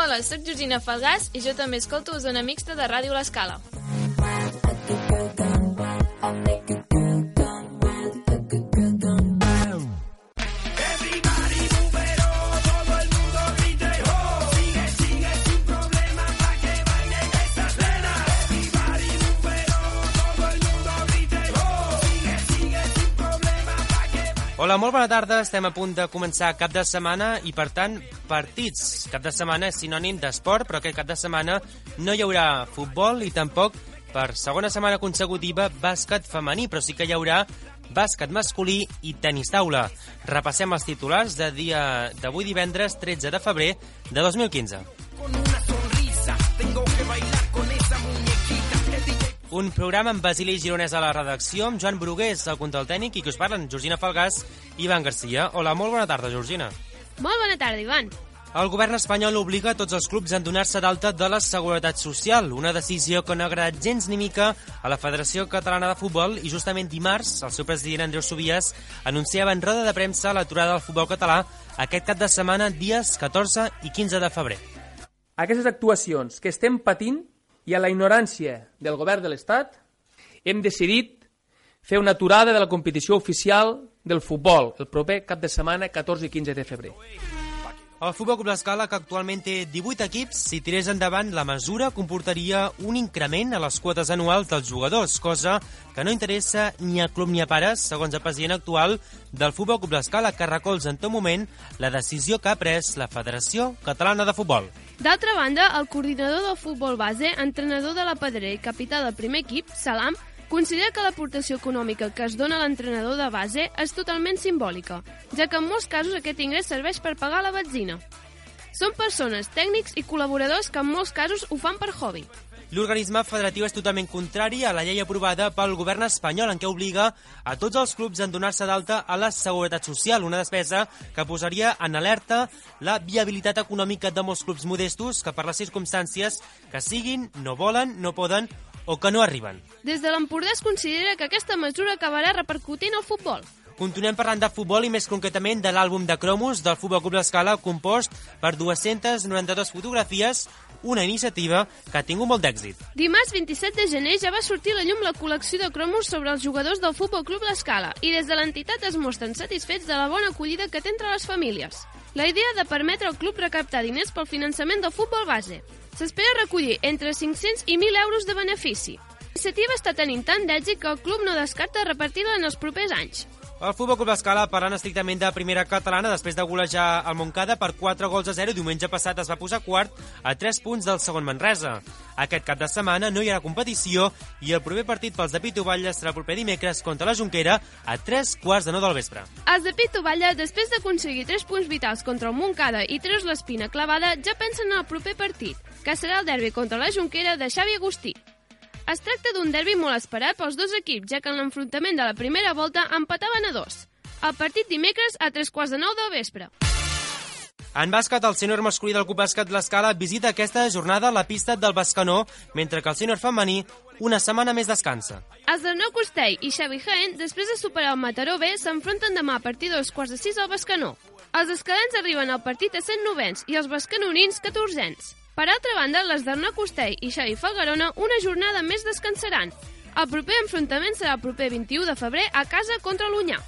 Hola, sóc Georgina Falgàs i jo també escolto Zona Mixta de Ràdio L'Escala. Hola, molt bona tarda. Estem a punt de començar cap de setmana i, per tant, partits. Cap de setmana és sinònim d'esport, però aquest cap de setmana no hi haurà futbol i tampoc, per segona setmana consecutiva, bàsquet femení, però sí que hi haurà bàsquet masculí i tenis taula. Repassem els titulars d'avui divendres 13 de febrer de 2015. Un programa amb Basili Gironès a la redacció, amb Joan Brugués al control tècnic i que us parlen Georgina Falgàs i Ivan Garcia. Hola, molt bona tarda, Georgina. Molt bona tarda, Ivan. El govern espanyol obliga tots els clubs a donar-se d'alta de la Seguretat Social, una decisió que no ha agradat gens ni mica a la Federació Catalana de Futbol i justament dimarts el seu president Andreu Subias anunciava en roda de premsa l'aturada del futbol català aquest cap de setmana dies 14 i 15 de febrer. Aquestes actuacions que estem patint i a la ignorància del govern de l'Estat, hem decidit fer una aturada de la competició oficial del futbol el proper cap de setmana 14 i 15 de febrer. El Futbol Club L'Escala, que actualment té 18 equips, si tirés endavant la mesura comportaria un increment a les quotes anuals dels jugadors, cosa que no interessa ni a club ni a pares, segons el president actual del Futbol Club L'Escala, que recolza en tot moment la decisió que ha pres la Federació Catalana de Futbol. D'altra banda, el coordinador del futbol base, entrenador de la Pedrera i capità del primer equip, Salam, considera que l'aportació econòmica que es dona a l'entrenador de base és totalment simbòlica, ja que en molts casos aquest ingrés serveix per pagar la benzina. Són persones, tècnics i col·laboradors que en molts casos ho fan per hobby. L'organisme federatiu és totalment contrari a la llei aprovada pel govern espanyol en què obliga a tots els clubs a donar-se d'alta a la Seguretat Social, una despesa que posaria en alerta la viabilitat econòmica de molts clubs modestos que per les circumstàncies que siguin no volen, no poden o que no arriben. Des de l'Empordà es considera que aquesta mesura acabarà repercutint al futbol. Continuem parlant de futbol i més concretament de l'àlbum de cromos del Futbol Club L'Escala compost per 292 fotografies, una iniciativa que ha tingut molt d'èxit. Dimarts 27 de gener ja va sortir a la llum la col·lecció de cromos sobre els jugadors del Futbol Club L'Escala i des de l'entitat es mostren satisfets de la bona acollida que té entre les famílies. La idea de permetre al club recaptar diners pel finançament del futbol base. S'espera recollir entre 500 i 1.000 euros de benefici. L'iniciativa està tenint tant d'èxit que el club no descarta repartir-la en els propers anys. El Futbol Club L'Escala, parlant estrictament de primera catalana, després de golejar el Montcada per 4-0, diumenge passat es va posar quart a 3 punts del segon Manresa. Aquest cap de setmana no hi haurà competició i el proper partit pels de Pitu Batlle serà el proper dimecres contra la Jonquera a 3:15 del vespre. Els de Pitu Batlle, després d'aconseguir 3 punts vitals contra el Montcada i treure l'espina clavada, ja pensen en el proper partit, que serà el derbi contra la Jonquera de Xavi Agustí. Es tracta d'un derbi molt esperat pels dos equips, ja que en l'enfrontament de la primera volta empataven a 2. El partit dimecres a 8:45 del vespre. En bàsquet, el sènior masculí del Club Bàsquet L'Escala visita aquesta jornada la pista del Bescanó, mentre que el sènior femení una setmana més descansa. Els d'Arnau Costell i Xavi Jaén, després de superar el Mataró B, s'enfronten demà a partir de 2:45 al Bescanó. Els escalens arriben al partit a 109ens i els bescanonins 14ens. Per altra banda, les d'Arnau Costell i Xavi Falgarona una jornada més descansaran. El proper enfrontament serà el proper 21 de febrer a casa contra l'Onyà.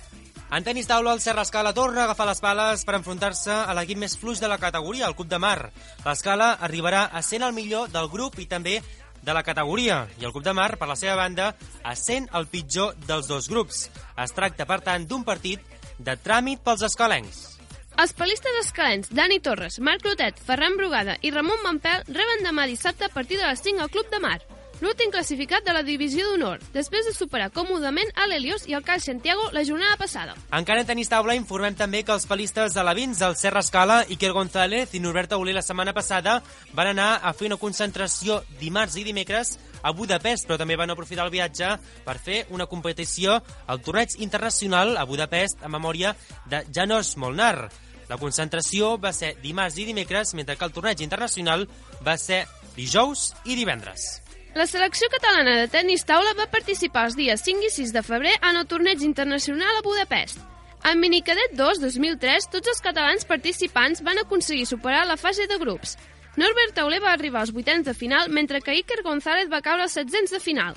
En tenis taula, el Serra Escala torna a agafar les pales per enfrontar-se a l'equip més fluix de la categoria, el Club de Mar. L'Escala arribarà a 100 el millor del grup i també de la categoria, i el Club de Mar, per la seva banda, a 100 el pitjor dels dos grups. Es tracta, per tant, d'un partit de tràmit pels escalencs. Els palistes escalens Dani Torres, Marc Clotet, Ferran Brugada i Ramon Mampel reben demà dissabte a partir de les 5 al Club de Mar, l'últim classificat de la divisió d'honor, després de superar còmodament a l'Helios i el Cal Santiago la jornada passada. Encara en tenis taula informem també que els palistes alevins del Serra Escala, Iker González i Norbert Auler la setmana passada van anar a fer una concentració dimarts i dimecres a Budapest, però també van aprofitar el viatge per fer una competició al torneig internacional a Budapest en memòria de Janos Molnar. La concentració va ser dimarts i dimecres, mentre que el torneig internacional va ser dijous i divendres. La selecció catalana de tenis taula va participar els dies 5 i 6 de febrer en el torneig internacional a Budapest. En Minicadet 2 2003, tots els catalans participants van aconseguir superar la fase de grups. Norbert Tauler va arribar als vuitens de final, mentre que Iker González va caure als setzents de final.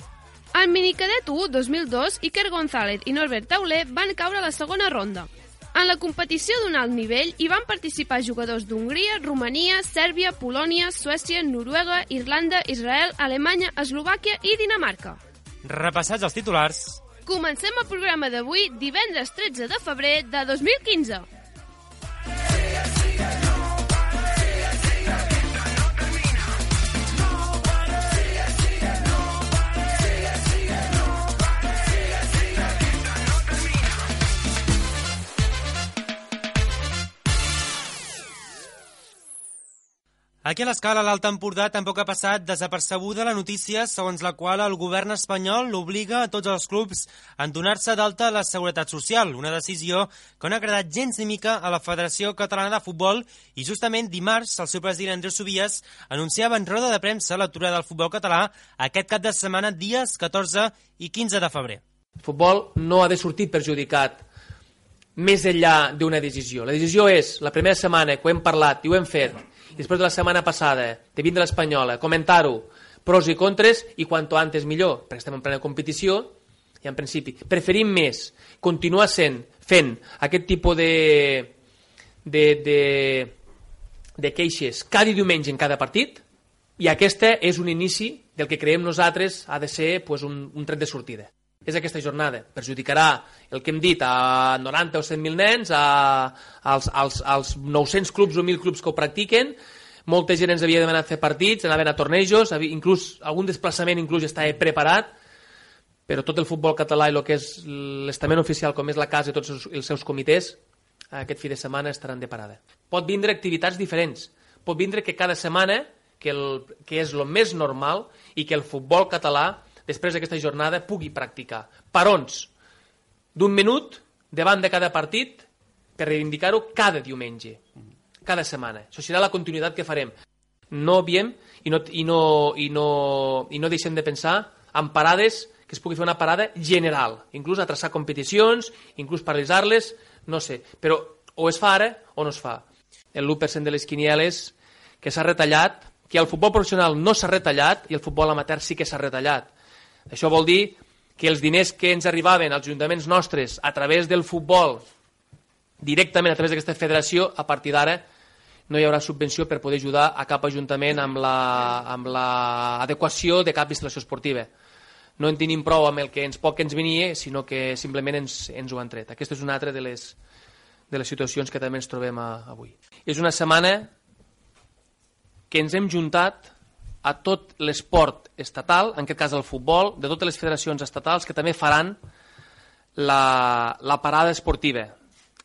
Al minicadet 1 2002, Iker González i Norbert Tauler van caure a la segona ronda. En la competició d'un alt nivell hi van participar jugadors d'Hongria, Romania, Sèrbia, Polònia, Suècia, Noruega, Irlanda, Israel, Alemanya, Eslovàquia i Dinamarca. Repassats els titulars. Comencem el programa d'avui, divendres 13 de febrer de 2015. Aquí a l'Escala, l'Alt Empordà, tampoc ha passat desapercebuda la notícia segons la qual el govern espanyol obliga a tots els clubs a donar-se d'alta a la Seguretat Social, una decisió que no ha agradat gens ni mica a la Federació Catalana de Futbol i justament dimarts el seu president Andreu Subies anunciava en roda de premsa l'aturada del futbol català aquest cap de setmana dies 14 i 15 de febrer. El futbol no ha de sortir perjudicat més enllà d'una decisió. La decisió és, la primera setmana que ho hem parlat i ho hem fet, i després de la setmana passada, de vindre l'Espanyola, comentar-ho, pros i contres, i quanto antes millor, perquè estem en plena competició, i en principi preferim més continuar fent aquest tipus de queixes cada diumenge en cada partit, i aquesta és un inici del que creiem nosaltres ha de ser un tret de sortida. És aquesta jornada. Perjudicarà el que hem dit a 90 o 100.000 nens, als 900 clubs o 1.000 clubs que ho practiquen. Molta gent ens havia demanat fer partits, anaven a tornejos, inclús algun desplaçament inclús estava preparat, però tot el futbol català i el que és l'estament oficial, com és la casa i tots els seus comitès, aquest fi de setmana estaran de parada. Pot vindre activitats diferents. Pot vindre que cada setmana, que és el més normal, i que el futbol català després d'aquesta jornada pugui practicar parons d'un minut davant de cada partit per reivindicar-ho cada diumenge, cada setmana. Això serà la continuïtat que farem. No obviem i no deixem de pensar en parades, que es pugui fer una parada general, inclús a traçar competicions, inclús paralitzar-les, no sé, però o es fa ara o no es fa. El 1% de les quinieles que s'ha retallat, que el futbol professional no s'ha retallat i el futbol amateur sí que s'ha retallat. Això vol dir que els diners que ens arribaven als ajuntaments nostres a través del futbol, directament a través d'aquesta federació, a partir d'ara no hi haurà subvenció per poder ajudar a cap ajuntament amb l'adequació de cap instal·lació esportiva. No en tenim prou amb el que ens venia, sinó que simplement ens ho han tret. Aquesta és una altra de les situacions que també ens trobem avui. És una setmana que ens hem juntat a tot l'esport estatal, en aquest cas el futbol, de totes les federacions estatals que també faran la parada esportiva.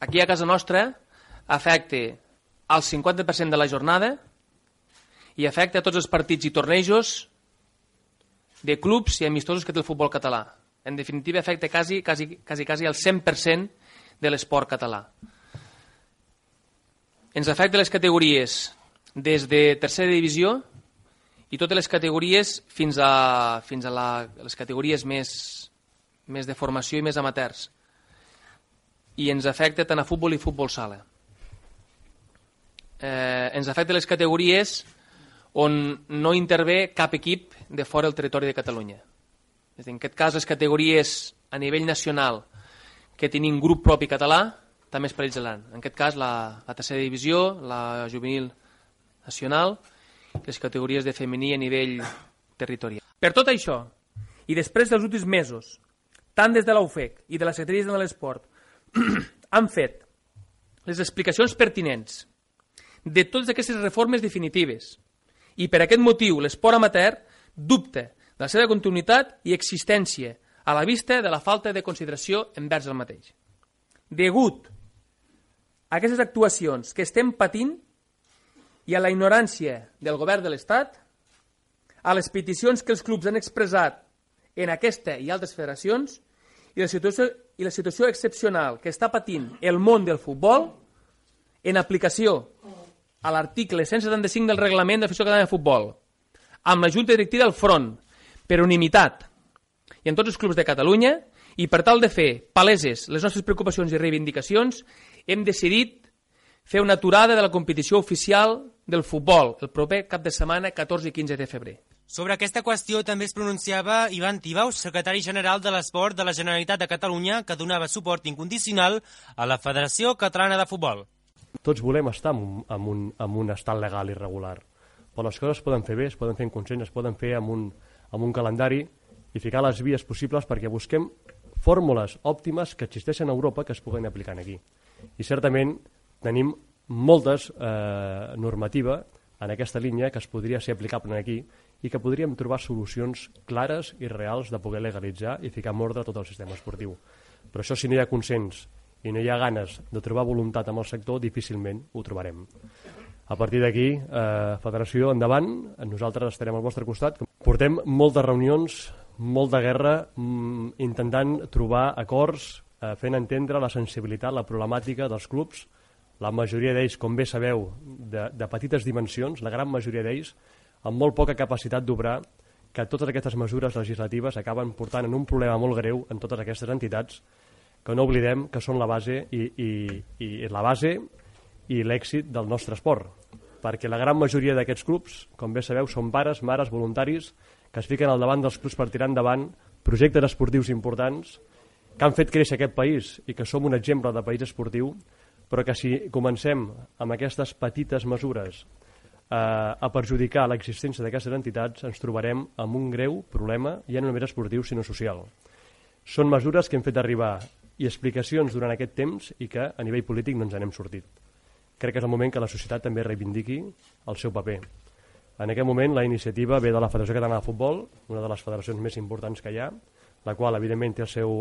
Aquí a casa nostra afecta el 50% de la jornada i afecta a tots els partits i tornejos de clubs i amistosos que té el futbol català. En definitiva, afecta quasi el 100% de l'esport català. Ens afecta les categories des de tercera divisió i totes les categories fins a les categories més de formació i més amateurs. I ens afecta tant a futbol i futbol sala. Ens afecta les categories on no intervé cap equip de fora del territori de Catalunya. En aquest cas, les categories a nivell nacional que tenim grup propi català també es paralitzaran. En aquest cas, la tercera divisió, la juvenil nacional, les categories de femení a nivell territorial. Per tot això, i després dels últims mesos, tant des de l'UFEC i de la Secretaria de l'Esport, han fet les explicacions pertinents de totes aquestes reformes definitives i per aquest motiu l'esport amateur dubta de la seva continuïtat i existència a la vista de la falta de consideració envers el mateix. Degut a aquestes actuacions que estem patint i a la ignorància del govern de l'Estat, a les peticions que els clubs han expressat en aquesta i altres federacions i la situació excepcional que està patint el món del futbol en aplicació a l'article 175 del reglament de la Federació Catalana de Futbol, amb la Junta Directiva del Front, per unanimitat, i en tots els clubs de Catalunya, i per tal de fer paleses les nostres preocupacions i reivindicacions, hem decidit fer una aturada de la competició oficial del futbol el proper cap de setmana 14 i 15 de febrer. Sobre aquesta qüestió també es pronunciava Ivan Tibaus, secretari general de l'Esport de la Generalitat de Catalunya, que donava suport incondicional a la Federació Catalana de Futbol. Tots volem estar en un estat legal i regular, però les coses es poden fer bé, es poden fer en consens, es poden fer amb un calendari i ficar les vies possibles perquè busquem fórmules òptimes que existeixen a Europa que es puguen aplicar aquí. I certament tenim moltes normativa en aquesta línia que es podria ser aplicable aquí i que podríem trobar solucions clares i reals de poder legalitzar i ficar en ordre tot el sistema esportiu. Però això, si no hi ha consens i no hi ha ganes de trobar voluntat amb el sector, difícilment ho trobarem. A partir d'aquí, Federació, endavant, nosaltres estarem al vostre costat. Portem moltes reunions, molta guerra, intentant trobar acords, fent entendre la sensibilitat, la problemàtica dels clubs. La majoria d'ells, com bé sabeu, de petites dimensions, la gran majoria d'ells, amb molt poca capacitat d'obrar, que totes aquestes mesures legislatives acaben portant en un problema molt greu en totes aquestes entitats, que no oblidem que són la base i l'èxit del nostre esport. Perquè la gran majoria d'aquests clubs, com bé sabeu, són pares, mares, voluntaris, que es fiquen al davant dels clubs per tirar endavant projectes esportius importants que han fet créixer aquest país i que som un exemple de país esportiu, però que si comencem amb aquestes petites mesures a perjudicar l'existència d'aquestes entitats, ens trobarem amb un greu problema, ja no només esportiu, sinó social. Són mesures que hem fet arribar i explicacions durant aquest temps i que a nivell polític no ens n'hem sortit. Crec que és el moment que la societat també reivindiqui el seu paper. En aquest moment la iniciativa ve de la Federació Catalana de Futbol, una de les federacions més importants que hi ha, la qual evidentment té el seu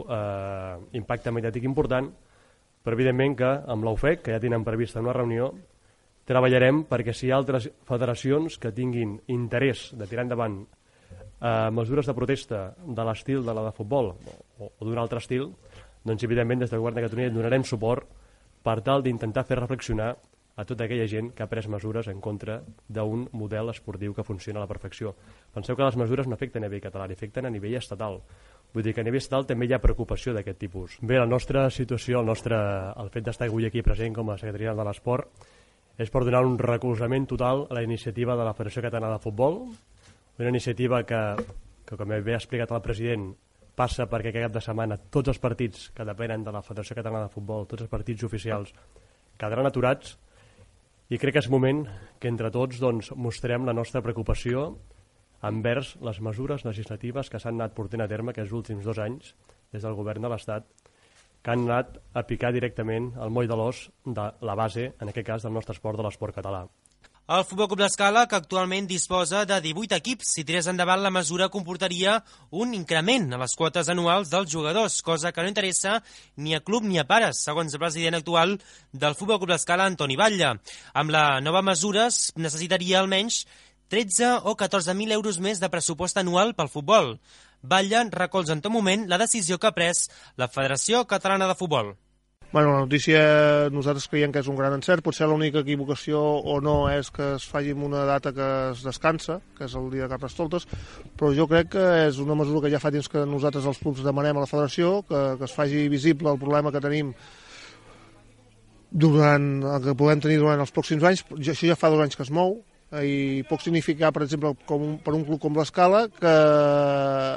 impacte mediàtic important, però evidentment que amb l'UFEC, que ja tenen prevista una reunió, treballarem perquè si hi ha altres federacions que tinguin interès de tirar endavant mesures de protesta de l'estil de la de futbol o d'un altre estil, doncs evidentment des del Govern de Catalunya donarem suport per tal d'intentar fer reflexionar a tota aquella gent que ha pres mesures en contra d'un model esportiu que funciona a la perfecció. Penseu que les mesures no afecten a nivell català, afecten a nivell estatal. Vull dir que a nivell estatal també hi ha preocupació d'aquest tipus. Bé, la nostra situació, el fet d'estar avui aquí present com a secretari de l'Esport, és per donar un recolzament total a la iniciativa de la Federació Catalana de Futbol, una iniciativa que com bé ha explicat el president, passa perquè aquest cap de setmana tots els partits que depenen de la Federació Catalana de Futbol, tots els partits oficials, quedaran aturats i crec que és moment que entre tots mostrem la nostra preocupació envers les mesures legislatives que s'han anat portant a terme aquests últims 2 anys des del govern de l'Estat, que han anat a picar directament el moll de l'os de la base, en aquest cas del nostre esport, de l'esport català. El Futbol Club l'Escala, que actualment disposa de 18 equips, si tirés endavant la mesura comportaria un increment a les quotes anuals dels jugadors, cosa que no interessa ni a club ni a pares, segons el president actual del Futbol Club l'Escala, Antoni Batlle. Amb la nova mesura es necessitaria almenys 13 o 14.000 euros més de pressupost anual pel futbol. Batlle recolza en tot moment la decisió que ha pres la Federació Catalana de Futbol. Bueno, la notícia nosaltres creiem que és un gran encert. Potser l'única equivocació o no és que es faci en una data que es descansa, que és el dia de Carnestoltes, però jo crec que és una mesura que ja fa temps que nosaltres els clubs demanem a la Federació, que es faci visible el problema que tenim que podem tenir durant els pròxims anys. Això ja fa 2 anys que es mou, i pot significar, per exemple, per un club com l'Escala, que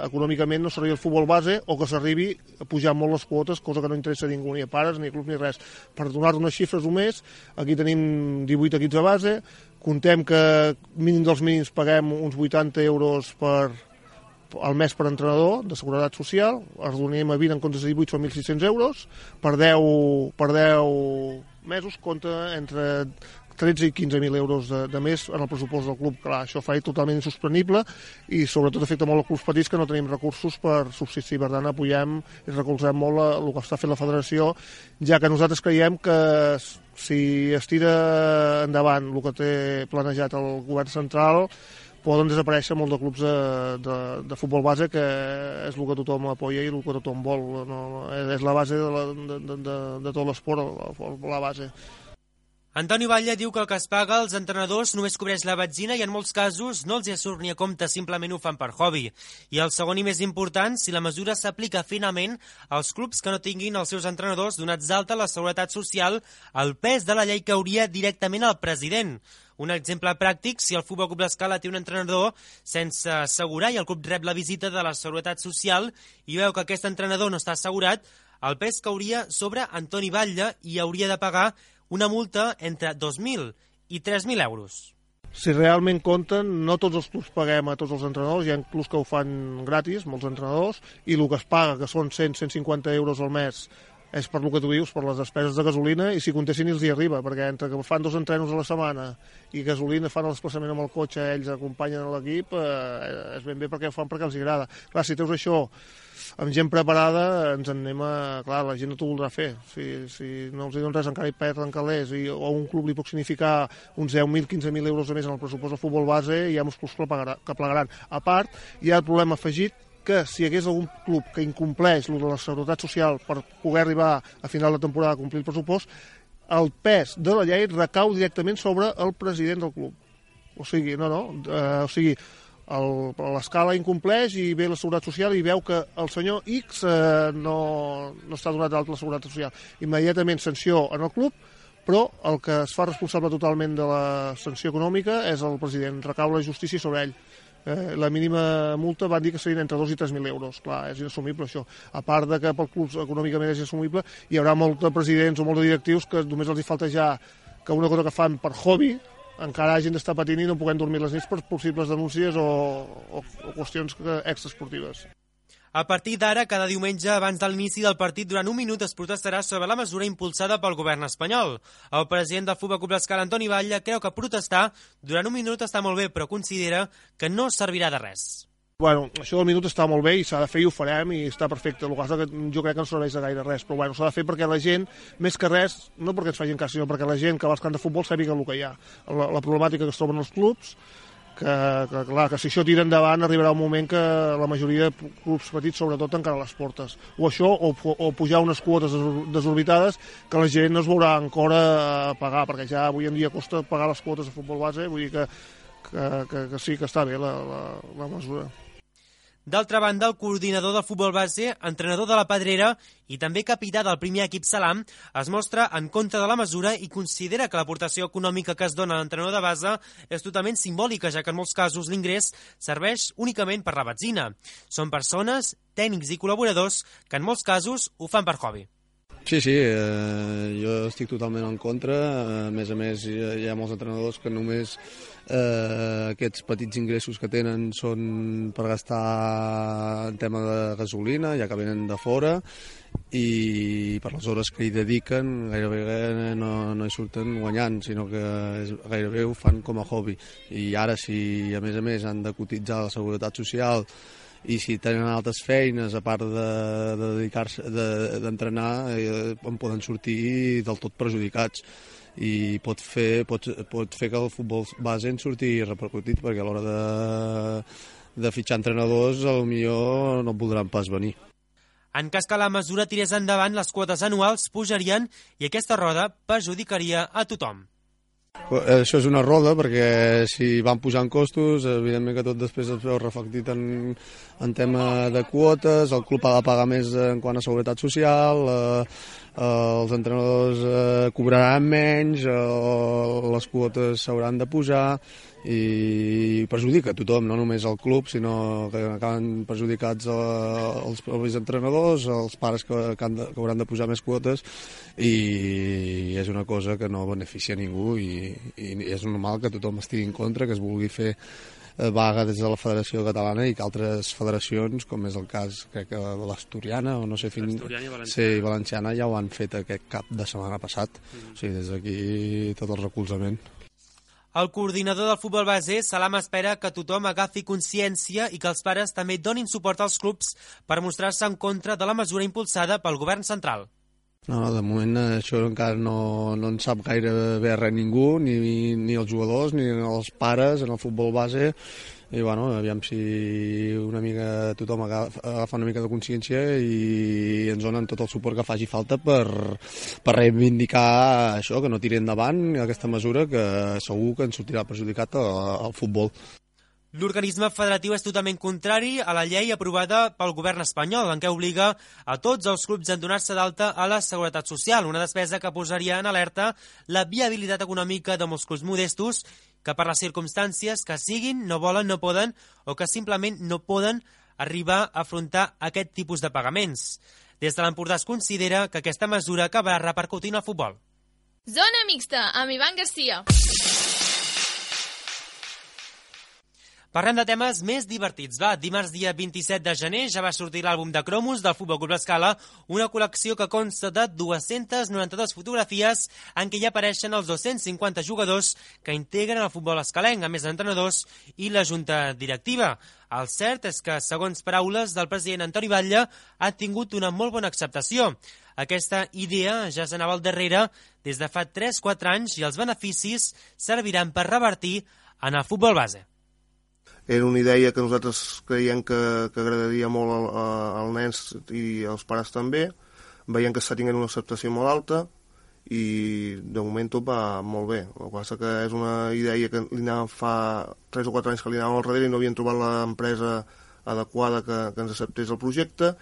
econòmicament no s'arribi al futbol base o que s'arribi a pujar molt les quotes, cosa que no interessa a ningú, ni a pares, ni a clubs, ni res. Per donar unes xifres només, aquí tenim 18 equips de base, contem que mínim dels mínims paguem uns 80 euros al mes per entrenador de seguretat social, els donem a 20 en comptes de 18 són 1.600 euros, per 10 mesos compta entre 13 i 15.000 euros de més en el pressupost del club. Clar, això fa totalment insostenible i sobretot afecta molt els clubs petits que no tenim recursos per subsistir. Per tant, apoyem i recolzem molt el que està fent la federació, ja que nosaltres creiem que si es tira endavant el que té planejat el govern central, poden desaparèixer molt de clubs de futbol base, que és el que tothom apoya i el que tothom vol. No, és la base de tot l'esport, la base. Antoni Batlle diu que el que es paga als entrenadors només cobreix la benzina i en molts casos no els hi surt ni a compte, simplement ho fan per hobby. I el segon i més important, si la mesura s'aplica finalment als clubs que no tinguin els seus entrenadors donats d'alta a la Seguretat Social, el pes de la llei cauria directament al president. Un exemple pràctic, si el Futbol Club L'Escala té un entrenador sense assegurar i el club rep la visita de la Seguretat Social i veu que aquest entrenador no està assegurat, el pes cauria sobre Antoni Batlle i hauria de pagar una multa entre 2.000 i 3.000 euros. Si realment compten, no tots els clubs paguem a tots els entrenadors, hi ha clubs que ho fan gratis, molts entrenadors, i el que es paga, que són 100-150 euros al mes, és per el que tu dius, per les despeses de gasolina, i si comptessin els hi arriba, perquè entre que fan 2 entrenos a la setmana i gasolina, fan el desplaçament amb el cotxe, ells acompanyen l'equip, és ben bé perquè ho fan perquè els agrada. Clar, si treus això amb gent preparada, ens en anem a... Clar, la gent no t'ho voldrà fer. Si no els hi donen res, encara hi perden calés, o un club li pot significar uns 10.000, 15.000 euros a més en el pressupost del futbol base, hi ha molts clubs que plegaran. A part, hi ha el problema afegit que si hi hagués algun club que incompleix de la Seguretat Social per poder arribar a final de temporada a complir el pressupost, el pes de la llei recau directament sobre el president del club. O sigui, l'Escala incompleix i ve la Seguretat Social i veu que el senyor X no està donat d'alta la Seguretat Social. Immediatament sanció en el club, però el que es fa responsable totalment de la sanció econòmica és el president, recau la justícia sobre ell. La mínima multa van dir que serien entre 2 i 3.000 euros. Clar, és inassumible això. A part de que pel club econòmicament és inassumible, hi haurà molts de presidents o molts de directius que només els hi falta ja que una cosa que fan per hobby encara hagin d'estar patint i no puguem dormir les nits per possibles denúncies o qüestions extraesportives. A partir d'ara, cada diumenge abans de l'inici del partit, durant un minut es protestarà sobre la mesura impulsada pel govern espanyol. El president del Futbol Club L'Escala, Antoni Batlle, creu que protestar durant un minut està molt bé, però considera que no servirà de res. Bueno, això del minut està molt bé i s'ha de fer i ho farem i està perfecte. El que jo crec que no serveix de gaire res, però bueno, s'ha de fer perquè la gent, més que res, no perquè ens facin cas, sinó perquè la gent que va als camps de futbol sàpiga el que hi ha. La problemàtica que es troben els clubs, que si això tira endavant arribarà un moment que la majoria de clubs petits sobretot tancaran les portes. O això, o pujar unes quotes desorbitades que la gent no es veurà encara a pagar, perquè ja avui en dia costa pagar les quotes de futbol base, vull dir que sí que està bé la mesura. D'altra banda, el coordinador del futbol base, entrenador de la Pedrera i també capità del primer equip Salam, es mostra en contra de la mesura i considera que l'aportació econòmica que es dona a l'entrenador de base és totalment simbòlica, ja que en molts casos l'ingrés serveix únicament per la benzina. Són persones, tècnics i col·laboradors que en molts casos ho fan per hobby. Sí, jo estic totalment en contra. A més, hi ha molts entrenadors que només aquests petits ingressos que tenen són per gastar en tema de gasolina, ja que venen de fora, i per les hores que hi dediquen gairebé no hi surten guanyant, sinó que gairebé ho fan com a hobby. I ara, si a més han de cotitzar a la Seguretat Social i si tenen altres feines a part de dedicar-se d'entrenar, en poden sortir del tot perjudicats i pot fer que el futbol base en surti repercutit, perquè a l'hora de fitxar entrenadors potser no voldran pas venir. En cas que la mesura tirés endavant, les quotes anuals pujarien i aquesta roda perjudicaria a tothom. Això és una roda, perquè si van pujant costos, evidentment que tot després es veu reflectit en tema de quotes, el club ha de pagar més en quant a seguretat social, els entrenadors cobraran menys, les quotes s'hauran de pujar i perjudica a tothom, no només al club, sinó que acaben perjudicats els propis entrenadors, els pares que hauran de pujar més quotes, i és una cosa que no beneficia a ningú i és normal que tothom estigui en contra, que es vulgui fer vaga des de la Federació Catalana i que altres federacions, com és el cas, crec que de l'Asturiana, o no sé, Valenciana ja ho han fet aquest cap de setmana passat. O sigui, des d'aquí tot el recolzament. El coordinador del futbol base, Salam, espera que tothom agafi consciència i que els pares també donin suport als clubs per mostrar-se en contra de la mesura impulsada pel govern central. No, de moment això encara no en sap gaire bé res ningú, ni els jugadors ni els pares en el futbol base. i bueno, aviam si una mica tothom agafa una mica de consciència i ens donen tot el suport que faci falta per reivindicar això, que no tiri endavant aquesta mesura que segur que ens sortirà perjudicat al futbol. L'organisme federatiu és totalment contrari a la llei aprovada pel govern espanyol, en què obliga a tots els clubs a donar-se d'alta a la Seguretat Social, una despesa que posaria en alerta la viabilitat econòmica de molts clubs modestos que per les circumstàncies que siguin no volen, no poden o que simplement no poden arribar a afrontar aquest tipus de pagaments. Des de l'Empordà es considera que aquesta mesura acabarà repercutint al futbol. Zona mixta, amb Ivan Garcia. Parlem de temes més divertits. Dimarts dia 27 de gener ja va sortir l'àlbum de cromos del Futbol Club L'Escala, una col·lecció que consta de 292 fotografies en què hi apareixen els 250 jugadors que integren el futbol escalenc, a més d'entrenadors i la junta directiva. El cert és que, segons paraules del president Antoni Batlle, ha tingut una molt bona acceptació. Aquesta idea ja s'anava al darrere des de fa 3-4 anys i els beneficis serviran per revertir en el futbol base. Era una idea que nosaltres creiem que agradaria molt als nens i als pares també. Veiem que està tenint una acceptació molt alta i de moment tot va molt bé. El que passa que és una idea que li anàvem fa 3 o 4 anys que li anàvem al darrere i no havien trobat l'empresa adequada que ens acceptés el projecte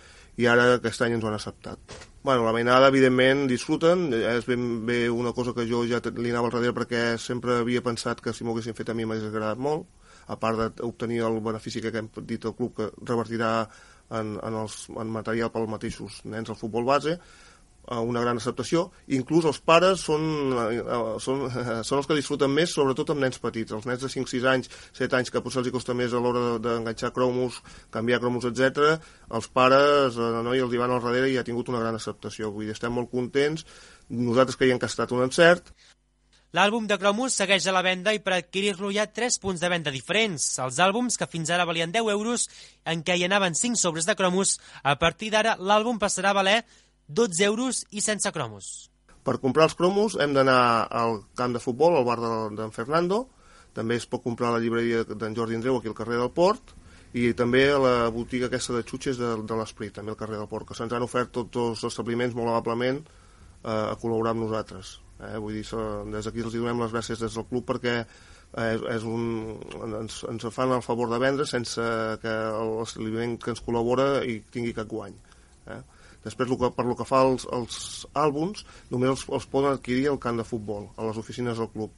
i ara aquest any ens ho han acceptat. Bueno, la mainada, evidentment, disfruten. És ben bé una cosa que jo ja li anava al darrere perquè sempre havia pensat que si m'ho haguessin fet a mi m'hagués agradat molt, a part d'obtenir el benefici que hem dit al club que revertirà en material pels mateixos nens al futbol base, una gran acceptació. Inclús els pares són els que disfruten més, sobretot amb nens petits. Els nens de 5, 6 anys, 7 anys, que potser els costa més a l'hora d'enganxar cromos, canviar cromos, etc. Els pares no, i els hi van al darrere i ha tingut una gran acceptació. Vull dir, estem molt contents. Nosaltres creiem que ha estat un encert. L'àlbum de cromos segueix a la venda i per adquirir-lo hi ha 3 punts de venda diferents. Els àlbums, que fins ara valien 10 euros, en què hi anaven 5 sobres de cromos, a partir d'ara l'àlbum passarà a valer 12 euros i sense cromos. Per comprar els cromos hem d'anar al camp de futbol, al bar d'en Fernando. També es pot comprar a la llibreria d'en Jordi Andreu, aquí al carrer del Port, i també a la botiga aquesta de xutxes de l'Esprit, també al carrer del Port, que se'ns han ofert tots els establiments molt amablement a col·laborar amb nosaltres. Vull dir, des d'aquí els donem les gràcies des del club perquè ens fan el favor de vendre sense que l'establiment que ens col·labora hi tingui cap guany. Després, per lo que fa als àlbums, només els poden adquirir al camp de futbol, a les oficines del club.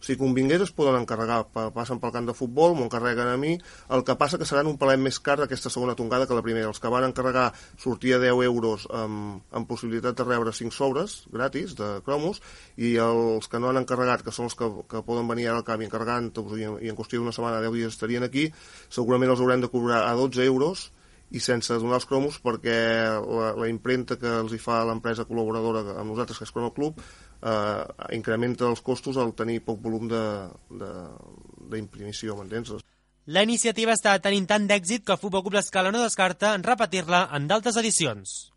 Si convingués es poden encarregar, passen pel camp de futbol, m'ho encarreguen a mi, el que passa que seran un palet més car d'aquesta segona tongada que la primera. Els que van encarregar sortia 10 euros amb possibilitat de rebre 5 sobres gratis de cromos, i els que no han encarregat, que són els que poden venir ara al camp i encarregant-los i en qüestió d'una setmana 10 dies estarien aquí, segurament els haurem de cobrar a 12 euros i sense donar els cromos perquè la impremta que els hi fa l'empresa col·laboradora amb nosaltres, que és Cromo Club, incrementa els costos al tenir poc volum d'imprimació, m'entens? La iniciativa està tenint tant d'èxit que el Futbol Club L'Escala no descarta en repetir-la en d'altres edicions.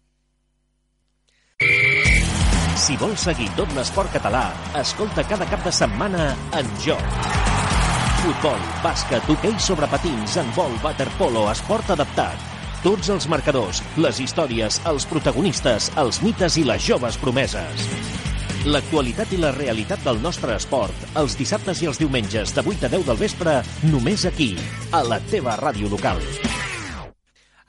Si vols seguir tot l'esport català, escolta cada cap de setmana En Joc. Futbol, bàsquet, hoquei sobre patins, handbol, waterpolo, esport adaptat. Tots els marcadors, les històries, els protagonistes, els mites i les joves promeses. L'actualitat i la realitat del nostre esport, els dissabtes i els diumenges de 8 a 10 del vespre, només aquí, a la teva ràdio local.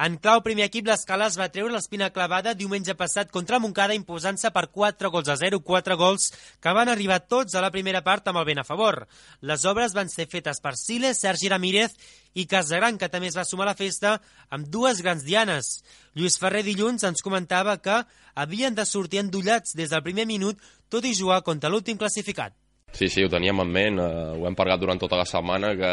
En clau primer equip, l'Escala es va treure l'espina clavada diumenge passat contra Montcada, imposant-se per 4-0, 4 gols que van arribar tots a la primera part amb el vent a favor. Les obres van ser fetes per Siles, Sergi Ramírez i Casagran, que també es va sumar a la festa amb 2 grans dianes. Lluís Ferrer dilluns ens comentava que havien de sortir endollats des del primer minut, tot i jugar contra l'últim classificat. Sí, ho teníem en ment, ho hem parlat durant tota la setmana, que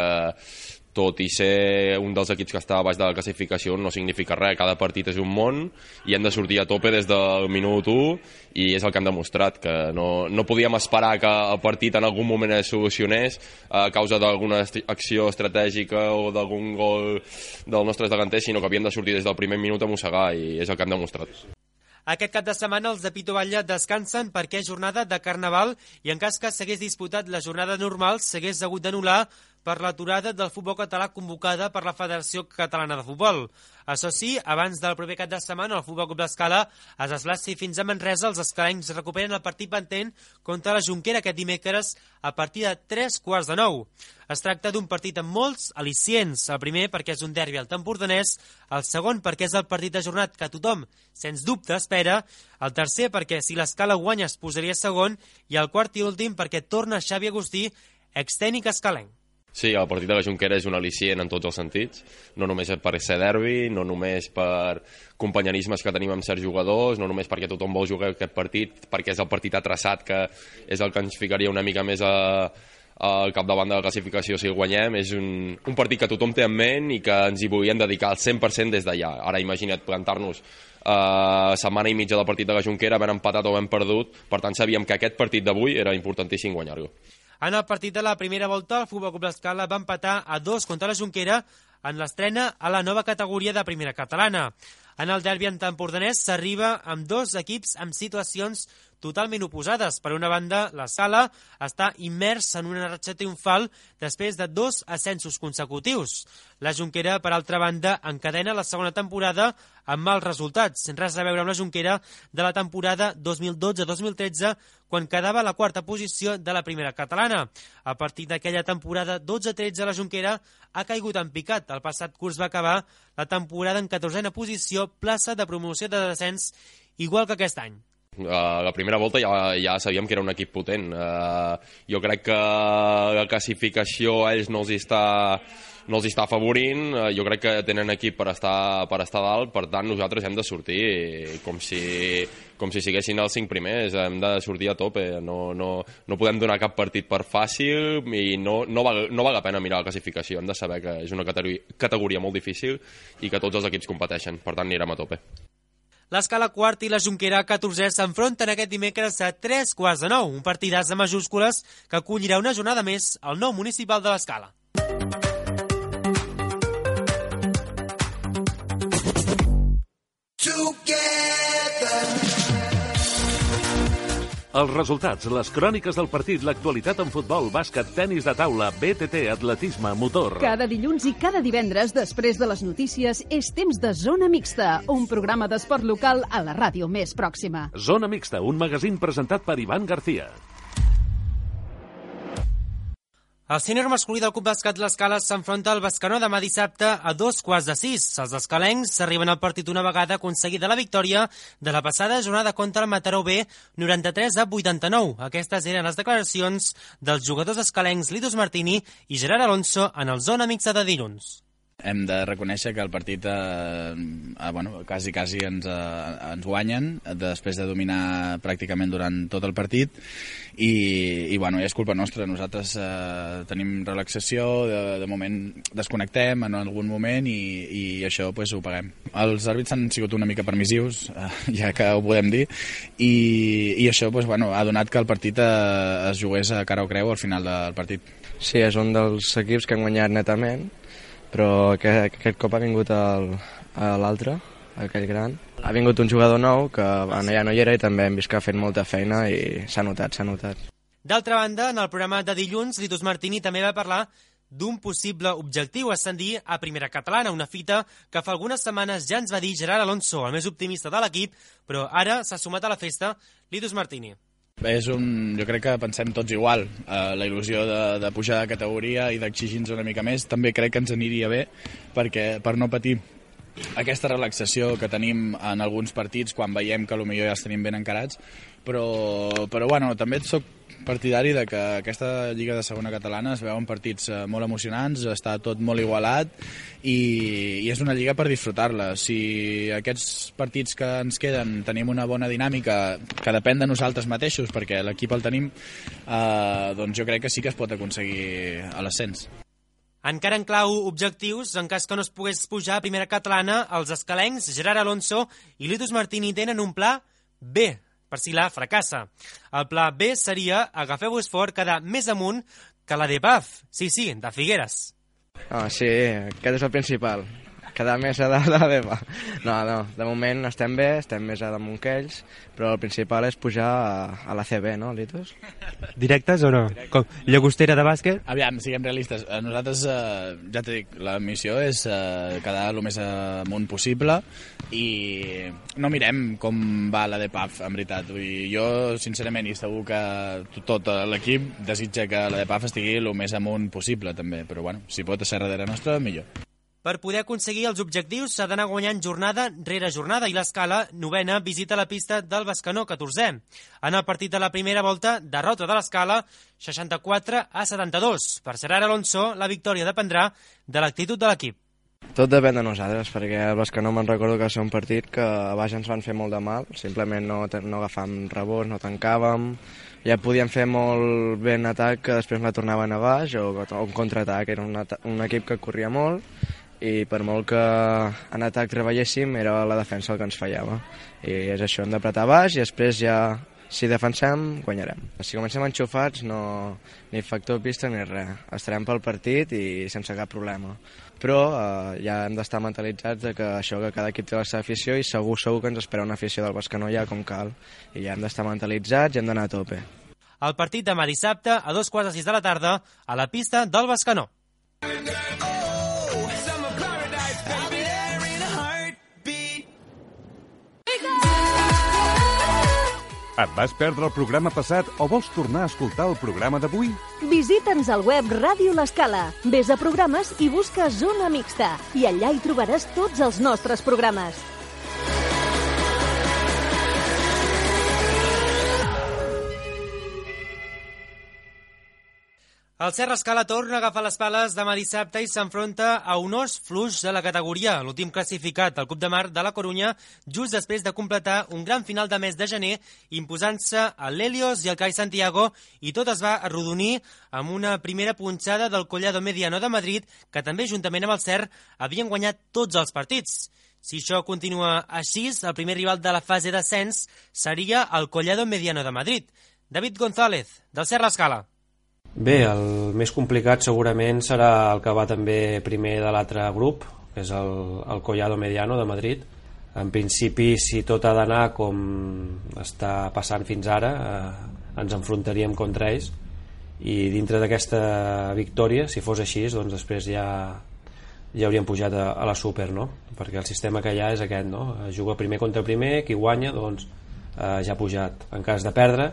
tot i ser un dels equips que està a baix de la classificació no significa res, cada partit és un món i hem de sortir a tope des del minut 1 i és el que hem demostrat, que no podíem esperar que el partit en algun moment es solucionés a causa d'alguna acció estratègica o d'algun gol dels nostres delanters, sinó que havíem de sortir des del primer minut a mossegar i és el que hem demostrat. Aquest cap de setmana els de Pito Batlle descansen perquè és jornada de Carnaval i en cas que s'hagués disputat la jornada normal s'hagués hagut d'anul·lar per l'aturada del futbol català convocada per la Federació Catalana de Futbol. Això sí, abans del proper cap de setmana, el Futbol Club l'Escala es desplaci fins a Manresa. Els escalencs recuperen el partit pendent contra la Jonquera aquest dimecres a partir de 3:45. Es tracta d'un partit amb molts al·licients. El primer perquè és un derbi al Empordanès, el segon perquè és el partit ajornat que tothom, sens dubte, espera, el tercer perquè si l'Escala guanya es posaria segon i el quart i últim perquè torna Xavi Agustí, extècnic escalenc. Sí, el partit de la Jonquera és un al·licient en tots els sentits, no només per ser derbi, no només per companyerismes que tenim amb certs jugadors, no només perquè tothom vol jugar aquest partit, perquè és el partit atraçat, que és el que ens ficaria una mica més al capdavant de la classificació si guanyem. És un partit que tothom té en ment i que ens hi volíem dedicar al 100% des d'allà. Ara imagina't plantar-nos setmana i mitja del partit de la Jonquera, havent empatat o havent perdut, per tant sabíem que aquest partit d'avui era importantíssim guanyar-lo. En el partit de la primera volta, el Futbol Club l'Escala va empatar a 2 contra la Jonquera en l'estrena a la nova categoria de primera catalana. En el derbi empordanès s'arriba amb dos equips amb situacions totalment oposades. Per una banda, l'Escala està immers en una ratxa triomfal després de 2 ascensos consecutius. La Jonquera, per altra banda, encadena la segona temporada amb mals resultats, sense res a veure amb la Jonquera de la temporada 2012-2013, quan quedava a la quarta posició de la primera catalana. A partir d'aquella temporada 12-13, la Jonquera ha caigut en picat. El passat curs va acabar la temporada en 14a posició, plaça de promoció de descens, igual que aquest any. La primera volta ja sabíem que era un equip potent. Jo crec que la classificació a ells no els està afavorint. Jo crec que tenen equip per estar dalt, per tant nosaltres hem de sortir com si siguessin els 5 primers, hem de sortir a tope. No podem donar cap partit per fàcil i no val la pena mirar la classificació. Hem de saber que és una categoria molt difícil i que tots els equips competeixen, per tant anirem a tope. L'Escala quart i la Jonquera 14è s'enfronten aquest dimecres a 3:45, un partidàs de majúscules que acollirà una jornada més al nou municipal de l'Escala. Els resultats, les cròniques del partit, l'actualitat en futbol, bàsquet, tenis de taula, BTT, atletisme, motor. Cada dilluns i cada divendres, després de les notícies, és temps de Zona Mixta, un programa d'esport local a la ràdio més pròxima. Zona Mixta, un magazín presentat per Ivan García. El sènior masculí del Club Bàsquet l'Escala s'enfronta al Bescanó demà dissabte a 5:45. Els escalencs arriben al partit una vegada aconseguida la victòria de la passada jornada contra el Mataró B, 93-89. Aquestes eren les declaracions dels jugadors escalencs Litos Martini i Gerard Alonso en el Zona Mixta de dilluns. Hem de reconèixer que el partit quasi ens guanyen després de dominar pràcticament durant tot el partit i és culpa nostra. Nosaltres tenim relaxació, de moment desconnectem en algun moment i això ho paguem. Els àrbits han sigut una mica permissius, ja que ho podem dir, i això ha donat que el partit es jugués a cara o creu al final del partit. Sí, és un dels equips que han guanyat netament, però aquest cop ha vingut l'altre, aquell gran. Ha vingut un jugador nou que ja no hi era i també hem vist que ha fet molta feina i s'ha notat. D'altra banda, en el programa de dilluns, Litos Martini també va parlar d'un possible objectiu, ascendir a primera catalana, una fita que fa algunes setmanes ja ens va dir Gerard Alonso, el més optimista de l'equip, però ara s'ha sumat a la festa Litos Martini. Jo crec que pensem tots igual, la il·lusió de pujar de categoria i d'exigir-nos una mica més. També crec que ens aniria bé perquè per no patir aquesta relaxació que tenim en alguns partits quan veiem que potser ja els tenim ben encarats, però també soc partidari de que aquesta Lliga de Segona Catalana es veuen partits molt emocionants, està tot molt igualat i és una lliga per disfrutar-la. Si aquests partits que ens queden tenim una bona dinàmica que depèn de nosaltres mateixos perquè l'equip el tenim, doncs jo crec que sí que es pot aconseguir l'ascens. Encara en clau objectius, en cas que no es pogués pujar a primera catalana, els escalencs Gerard Alonso i Litos Martini tenen un pla B, per si la fracassa. El pla B seria agafeu-vos fort, quedar més amunt que la de Paf, sí, de Figueres. Sí, aquest és el principal, Quedar més a dalt de la BEPA. No, de moment estem bé, estem més a damunt que ells, però el principal és pujar a la CB, no, Litos? Directes o no? Com Llagostera de bàsquet? Aviam, siguem realistes. Nosaltres, ja t'he dit, la missió és quedar el més amunt possible i no mirem com va la DEPAF, en veritat. Vull dir, jo, sincerament, i segur que tot l'equip desitja que la DEPAF estigui el més amunt possible, també. Però, bueno, si pot ser darrere nostra, millor. Per poder aconseguir els objectius s'ha d'anar guanyant jornada rere jornada i l'Escala, 9a, visita la pista del Bescanó, 14è. En el partit de la primera volta, derrota de l'Escala, 64-72. Per Gerard Alonso, la victòria dependrà de l'actitud de l'equip. Tot depèn de nosaltres, perquè el Bescanó me'n recordo que va ser un partit que a baix ens van fer molt de mal, simplement no agafàvem rebots, no tancàvem, ja podíem fer molt bé en atac que després la tornaven a baix o un contraatac, era un equip que corria molt i per molt que en atac treballéssim era la defensa el que ens fallava i és això, hem d'apretar baix i després ja si defensem guanyarem. Si comencem enxufats ni factor pista ni res, estarem pel partit i sense cap problema, però ja hem d'estar mentalitzats de que això, que cada equip té la seva afició i segur que ens espera una afició del Bescanó ja com cal i ja hem d'estar mentalitzats i hem d'anar a tope. El partit demà dissabte a 2:06 de la tarda a la pista del Bescanó. Et vas perdre el programa passat o vols tornar a escoltar el programa d'avui? Visita'ns al web Ràdio L'Escala. Ves a programes i busca Zona Mixta i allà hi trobaràs tots els nostres programes. El Serra Escala torna a agafar les pales demà dissabte i s'enfronta a un os fluix de la categoria, l'últim classificat, el Club de Mar de la Corunya, just després de completar un gran final de mes de gener, imposant-se a l'Helios i el CAI Santiago, i tot es va arrodonir amb una primera punxada del Collado Mediano de Madrid, que també, juntament amb el CER, havien guanyat tots els partits. Si això continua així, el primer rival de la fase d'ascens seria el Collado Mediano de Madrid. David González, del Serra Escala. Bé, el més complicat segurament serà el que va també primer de l'altre grup, que és el Collado Mediano de Madrid. En principi, si tot ha d'anar com està passant fins ara, ens enfrontaríem contra ells i dintre d'aquesta victòria, si fos així, doncs després ja hauríem pujat a la Super, no? Perquè el sistema que hi ha és aquest, no? Juga primer contra primer, qui guanya doncs ja ha pujat. En cas de perdre,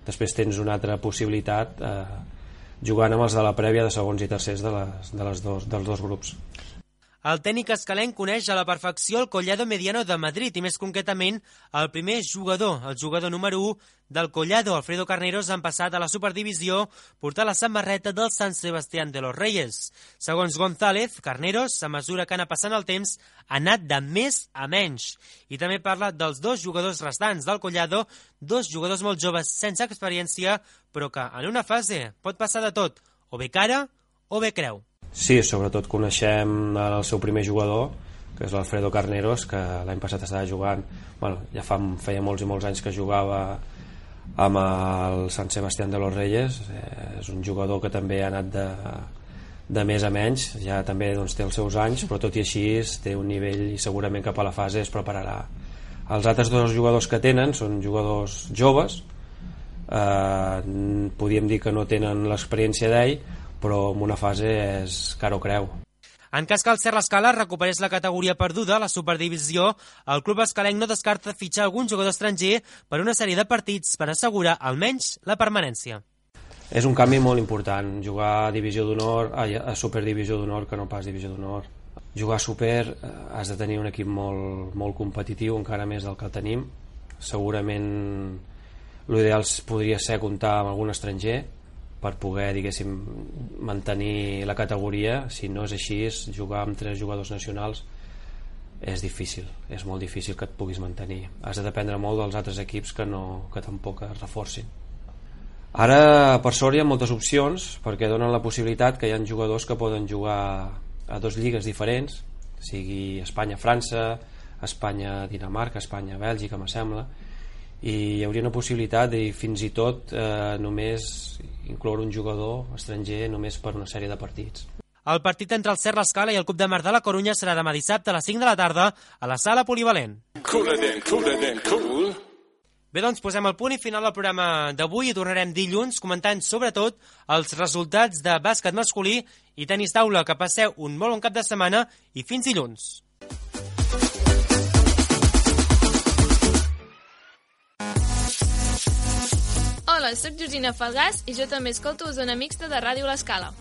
després tens una altra possibilitat jugant amb els de la prèvia de segons i tercers dels dos grups. El tècnic escalenc coneix a la perfecció el Collado Mediano de Madrid i més concretament el primer jugador, el jugador número 1 del Collado, Alfredo Carneros, han passat a la Superdivisió portar la samarreta del San Sebastián de los Reyes. Segons González, Carneros, a mesura que anà passant el temps, ha anat de més a menys. I també parla dels dos jugadors restants del Collado, dos jugadors molt joves sense experiència, però que en una fase pot passar de tot, o bé cara o bé creu. Sí, sobretot coneixem el seu primer jugador, que és l'Alfredo Carneros, que l'any passat estava jugant, ja feia molts i molts anys que jugava amb el San Sebastián de los Reyes. És un jugador que també ha anat de més a menys, ja també té els seus anys, però tot i així té un nivell i segurament cap a la fase es prepararà. Els altres dos jugadors que tenen són jugadors joves, podríem dir que no tenen l'experiència d'ell, però en una fase és cara o creu. En cas que el Serra Escala recuperés la categoria perduda a la Superdivisió, el club escalenc no descarta fitxar algun jugador estranger per una sèrie de partits per assegurar almenys la permanència. És un canvi molt important, jugar a Superdivisió d'Honor que no pas Divisió d'Honor. Jugar a Super has de tenir un equip molt competitiu, encara més del que tenim. Segurament l'ideal podria ser comptar amb algun estranger per poder, diguéssim, mantenir la categoria. Si no és així, jugar amb 3 jugadors nacionals és difícil, és molt difícil que et puguis mantenir. Has de dependre molt dels altres equips que tampoc es reforcin. Ara, per sort, hi ha moltes opcions perquè donen la possibilitat que hi ha jugadors que poden jugar a 2 lligues diferents, sigui Espanya-França, Espanya-Dinamarca, Espanya-Bèlgica, me sembla, i hi hauria una possibilitat de fins i tot només incloure un jugador estranger només per una sèrie de partits. El partit entre el Ser l'Escala i el Club de Mar de la Corunya serà demà dissabte a les 5 de la tarda a la sala polivalent. Cooler than cool. Bé, doncs posem el punt i final al programa d'avui i tornarem dilluns comentant sobretot els resultats de bàsquet masculí i tenis taula. Que passeu un molt bon cap de setmana i fins dilluns. Hola, soc Georgina Falgàs i jo també escolto Zona Mixta de Ràdio L'Escala.